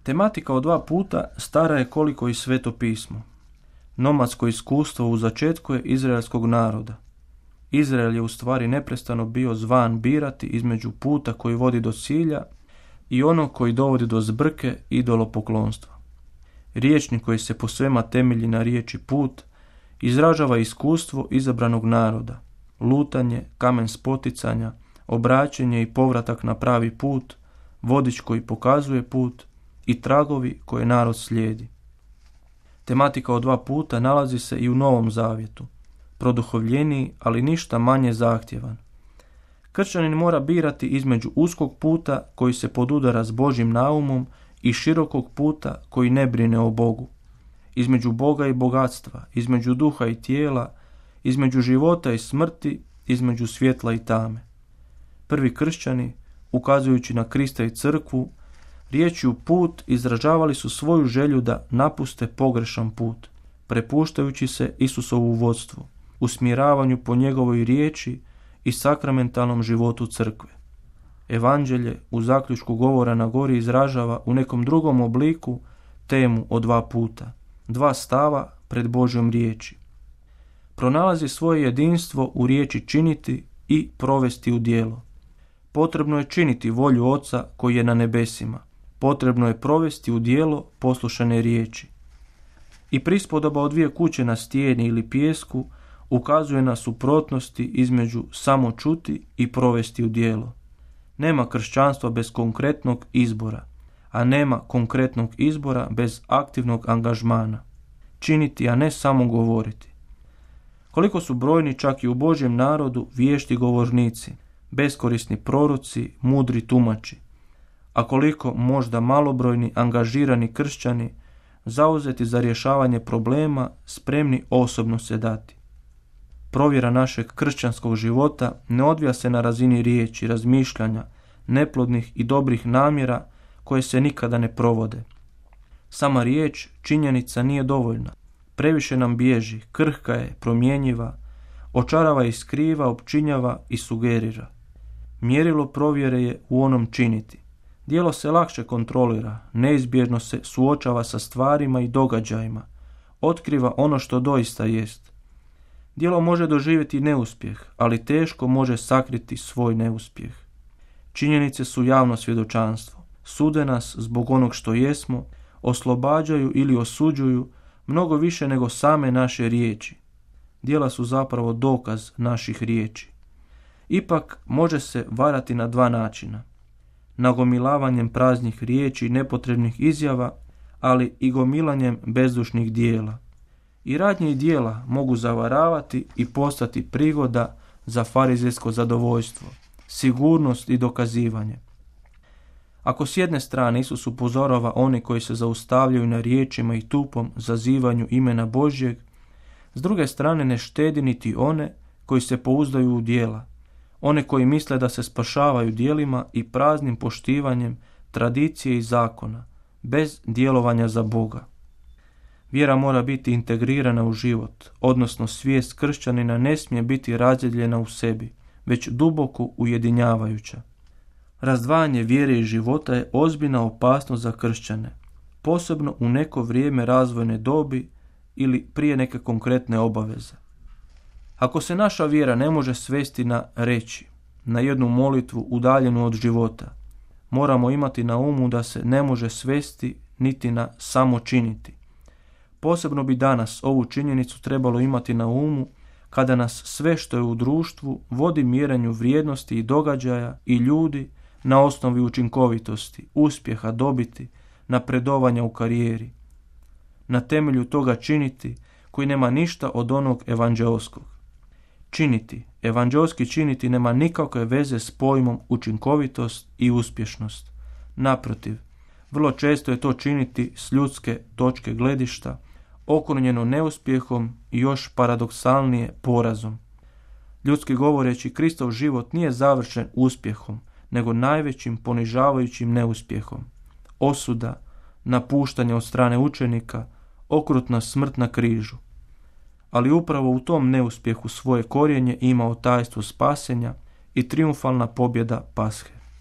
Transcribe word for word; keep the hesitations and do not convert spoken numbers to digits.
Tematika o dva puta stara je koliko i Sveto pismo. Nomadsko iskustvo u začetku je izraelskog naroda. Izrael je u stvari neprestano bio zvan birati između puta koji vodi do cilja i onog koji dovodi do zbrke i idolopoklonstva. Riječnik koji se po svema temelji na riječi put izražava iskustvo izabranog naroda, lutanje, kamen spoticanja, obraćanje i povratak na pravi put, vodič koji pokazuje put i tragovi koje narod slijedi. Tematika o dva puta nalazi se i u Novom Zavjetu, produhovljeniji, ali ništa manje zahtjevan. Kršćanin mora birati između uskog puta koji se podudara s Božjim naumom i širokog puta koji ne brine o Bogu. Između Boga i bogatstva, između duha i tijela, između života i smrti, između svjetla i tame. Prvi kršćani, ukazujući na Krista i crkvu, riječju put izražavali su svoju želju da napuste pogrešan put, prepuštajući se Isusovu vodstvu, usmjeravanju po njegovoj riječi i sakramentalnom životu crkve. Evanđelje u zaključku govora na gori izražava u nekom drugom obliku temu o dva puta, dva stava pred Božjom riječi. Pronalazi svoje jedinstvo u riječi činiti i provesti u djelo. Potrebno je činiti volju Oca koji je na nebesima. Potrebno je provesti u djelo poslušane riječi. I prispodoba o dvije kuće na stijeni ili pijesku ukazuje na suprotnosti između samo čuti i provesti u djelo. Nema kršćanstva bez konkretnog izbora, a nema konkretnog izbora bez aktivnog angažmana. Činiti, a ne samo govoriti. Koliko su brojni čak i u Božjem narodu vješti govornici, beskorisni proroci, mudri tumači, a koliko možda malobrojni angažirani kršćani zauzeti za rješavanje problema, spremni osobno se dati. Provjera našeg kršćanskog života ne odvija se na razini riječi, razmišljanja, neplodnih i dobrih namjera koje se nikada ne provode. Sama riječ, činjenica nije dovoljna. Previše nam bježi, krhka je, promjenjiva, očarava i skriva, opčinjava i sugerira. Mjerilo provjere je u onom činiti. Djelo se lakše kontrolira, neizbježno se suočava sa stvarima i događajima, otkriva ono što doista jest. Djelo može doživjeti neuspjeh, ali teško može sakriti svoj neuspjeh. Činjenice su javno svjedočanstvo. Sude nas zbog onog što jesmo, oslobađaju ili osuđuju mnogo više nego same naše riječi. Djela su zapravo dokaz naših riječi. Ipak može se varati na dva načina. Nagomilavanjem praznih riječi i nepotrebnih izjava, ali i gomilanjem bezdušnih dijela. I radnje i dijela mogu zavaravati i postati prigoda za farizejsko zadovoljstvo, sigurnost i dokazivanje. Ako s jedne strane Isus upozorava one koji se zaustavljaju na riječima i tupom zazivanju imena Božjeg, s druge strane ne štedi niti one koji se pouzdaju u djela, one koji misle da se spašavaju djelima i praznim poštivanjem tradicije i zakona, bez djelovanja za Boga. Vjera mora biti integrirana u život, odnosno svijest kršćanina ne smije biti razjedljena u sebi, već duboko ujedinjavajuća. Razdvajanje vjere i života je ozbiljna opasnost za kršćane, posebno u neko vrijeme razvojne dobi ili prije neke konkretne obaveze. Ako se naša vjera ne može svesti na reći, na jednu molitvu udaljenu od života, moramo imati na umu da se ne može svesti niti na samo činiti. Posebno bi danas ovu činjenicu trebalo imati na umu kada nas sve što je u društvu vodi mjerenju vrijednosti i događaja i ljudi na osnovi učinkovitosti, uspjeha, dobiti, napredovanja u karijeri. Na temelju toga činiti koji nema ništa od onog evanđeoskog. Činiti, evanđeoski činiti nema nikakve veze s pojmom učinkovitost i uspješnost. Naprotiv, vrlo često je to činiti s ljudske točke gledišta, okrunjeno neuspjehom i još paradoksalnije porazom. Ljudski govoreći, Kristov život nije završen uspjehom, nego najvećim ponižavajućim neuspjehom. Osuda, napuštanje od strane učenika, okrutna smrt na križu. Ali upravo u tom neuspjehu svoje korijenje imao tajstvo spasenja i trijumfalna pobjeda Pashe.